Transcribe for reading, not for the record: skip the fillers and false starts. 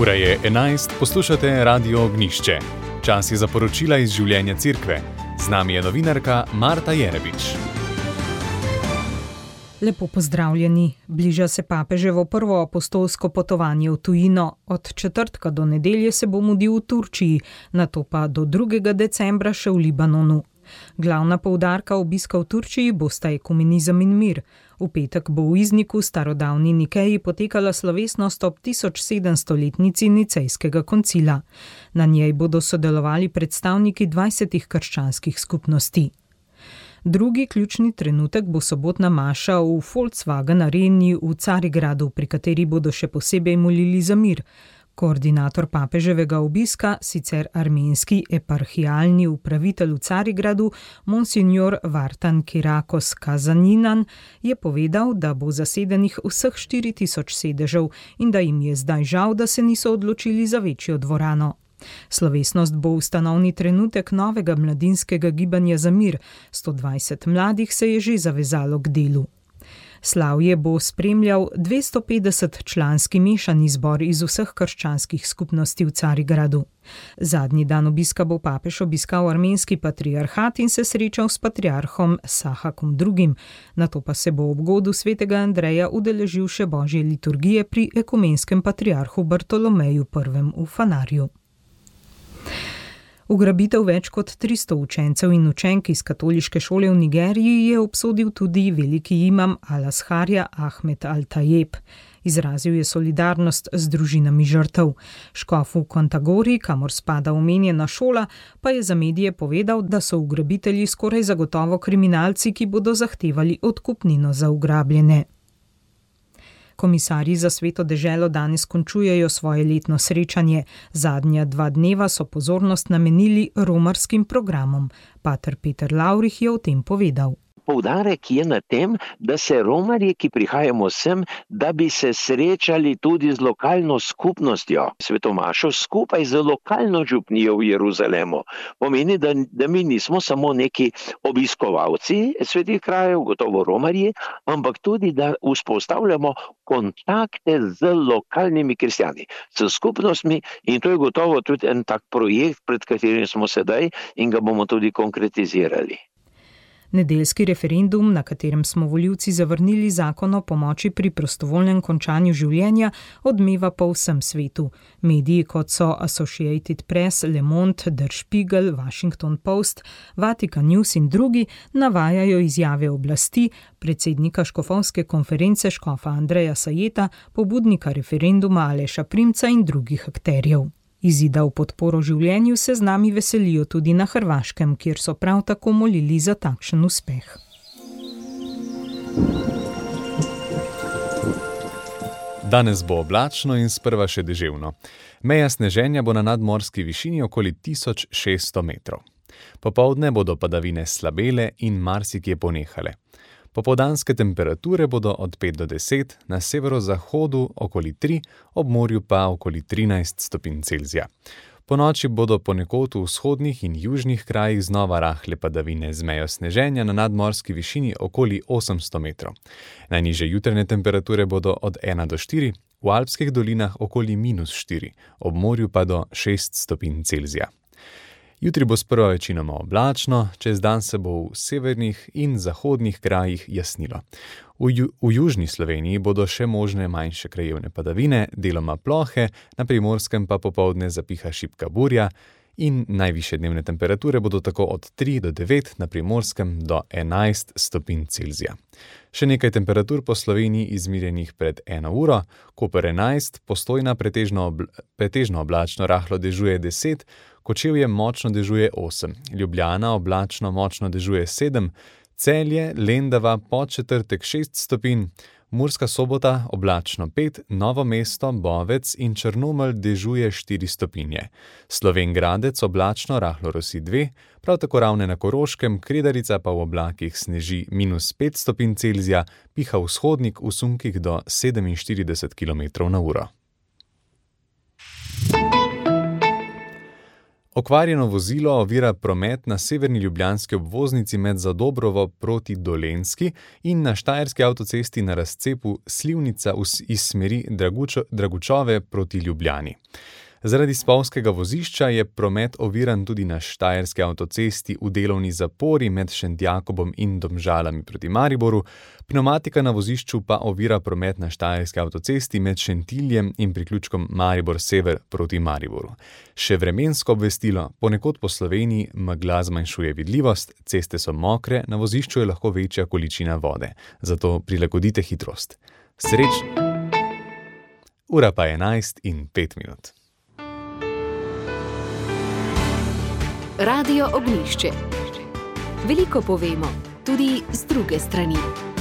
Ura je 11, poslušate Radio Ognjišče. Čas je za poročila iz življenja Cerkve. Z nami je novinarka Marta Jerebič. Lepo pozdravljeni. Bliža se papeževo prvo apostolsko potovanje v tujino. Od četrtka do nedelje se bo mudil v Turčiji, nato pa do 2. decembra še v Libanonu. Glavna poudarka obiska v Turčiji bosta ekumenizem in mir. V petek bo v Izniku, starodavni Nikeji, potekala slovesnost ob 1700-letnici Nicejskega koncila. Na njej bodo sodelovali predstavniki 20 krščanskih skupnosti. Drugi ključni trenutek bo sobotna maša v Volkswagen areni v Carigradu, pri kateri bodo še posebej molili za mir. Koordinator papeževega obiska, sicer armenski eparhialni upravitelj v Carigradu, monsignor Vartan Kirakos Kazaninan, je povedal, da bo zasedenih vseh 4000 sedežev in da jim je zdaj žal, da se niso odločili za večjo dvorano. Slovesnost bo ustanovni trenutek novega mladinskega gibanja za mir. 120 mladih se je že zavezalo k delu. Slavje bo spremljal 250-članski mešani zbor iz vseh krščanskih skupnosti v Carigradu. Zadnji dan obiska bo papež obiskal armenski patriarhat in se srečal s patriarhom Sahakom II. Nato pa se bo ob godu svetega Andreja udeležil še božje liturgije pri ekumenskem patriarhu Bartolomeju I. v Fanarju. Ugrabitev več kot 300 učencev in učenk iz katoliške šole v Nigeriji je obsodil tudi veliki imam Al-Azharja Ahmed Al-Tajeb. Izrazil je solidarnost z družinami žrtev. Škof v Kontagori, kamor spada omenjena šola, pa je za medije povedal, da so ugrabitelji skoraj zagotovo kriminalci, ki bodo zahtevali odkupnino za ugrabljene. Komisarji za Sveto deželo danes končujejo svoje letno srečanje. Zadnja 2 dneva so pozornost namenili romarskim programom. Pater Peter Lavrih je o tem povedal. Poudarek je na tem, da se romarji, ki prihajamo sem, da bi se srečali tudi z lokalno skupnostjo, svetomašo skupaj z lokalno župnijo v Jeruzalemu. Pomeni, da mi nismo samo neki obiskovalci svetih krajev, gotovo romarji, ampak tudi, da vzpostavljamo kontakte z lokalnimi kristjani, s skupnostmi, in to je gotovo tudi en tak projekt, pred katerim smo sedaj in ga bomo tudi konkretizirali. Nedeljski referendum, na katerem smo volivci zavrnili zakon o pomoči pri prostovoljnem končanju življenja, odmeva po vsem svetu. Mediji kot so Associated Press, Le Monde, Der Spiegel, Washington Post, Vatican News in drugi navajajo izjave oblasti, predsednika škofovske konference škofa Andreja Sajeta, pobudnika referenduma Aleša Primca in drugih akterjev. Izida v podporo življenju se z nami veselijo tudi na Hrvaškem, kjer so prav tako molili za takšen uspeh. Danes bo oblačno in sprva še deževno. Meja sneženja bo na nadmorski višini okoli 1600 metrov. Popoldne bodo padavine slabele in marsikje ponehale. Popoldanske temperature bodo od 5 do 10, na severozahodu okoli 3, ob morju pa okoli 13 stopinj Celzija. Po noči bodo ponekod v vzhodnih in južnih krajih znova rahle padavine z mejo sneženja na nadmorski višini okoli 800 metrov. Najnižje jutranje temperature bodo od 1 do 4, v alpskih dolinah okoli -4, ob morju pa do 6 stopinj Celzija. Jutri bo sprva večinoma oblačno, čez dan se bo v severnih in zahodnih krajih jasnilo. V južni Sloveniji bodo še možne manjše krajevne padavine, deloma plohe, na Primorskem pa popoldne zapiha šibka burja in najvišje dnevne temperature bodo tako od 3 do 9, na Primorskem do 11 stopinj Celzija. Še nekaj temperatur po Sloveniji izmerjenih pred 1 uro, Koper 11, Postojna pretežno oblačno rahlo dežuje 10, Kočevje močno dežuje 8, Ljubljana oblačno močno dežuje 7, Celje, Lendava, Podčetrtek 6 stopinj, Murska Sobota oblačno 5, Novo mesto, Bovec in Črnomelj dežuje 4 stopinje. Slovenj Gradec oblačno rahlo rosi 2, prav tako Ravne na Koroškem, Kredarica pa v oblakih sneži -5 stopinj Celzija, piha vzhodnik v sunkih do 47 km/h. Okvarjeno vozilo ovira promet na severni ljubljanski obvoznici med Zadobrovo proti Dolenjski in na štajerski avtocesti na razcepu Slivnica iz smeri Dragučove proti Ljubljani. Zaradi spolzkega vozišča je promet oviran tudi na štajerski avtocesti v delovni zapori med Šentjakobom in Domžalami proti Mariboru, pneumatika na vozišču pa ovira promet na štajerski avtocesti med Šentiljem in priključkom Maribor Sever proti Mariboru. Še vremensko obvestilo, ponekod po Sloveniji megla zmanjšuje vidljivost, ceste so mokre, na vozišču je lahko večja količina vode, zato prilagodite hitrost. Srečno! Ura pa je 11:05. Radio Ognjišče. Veliko povemo, tudi z druge strani.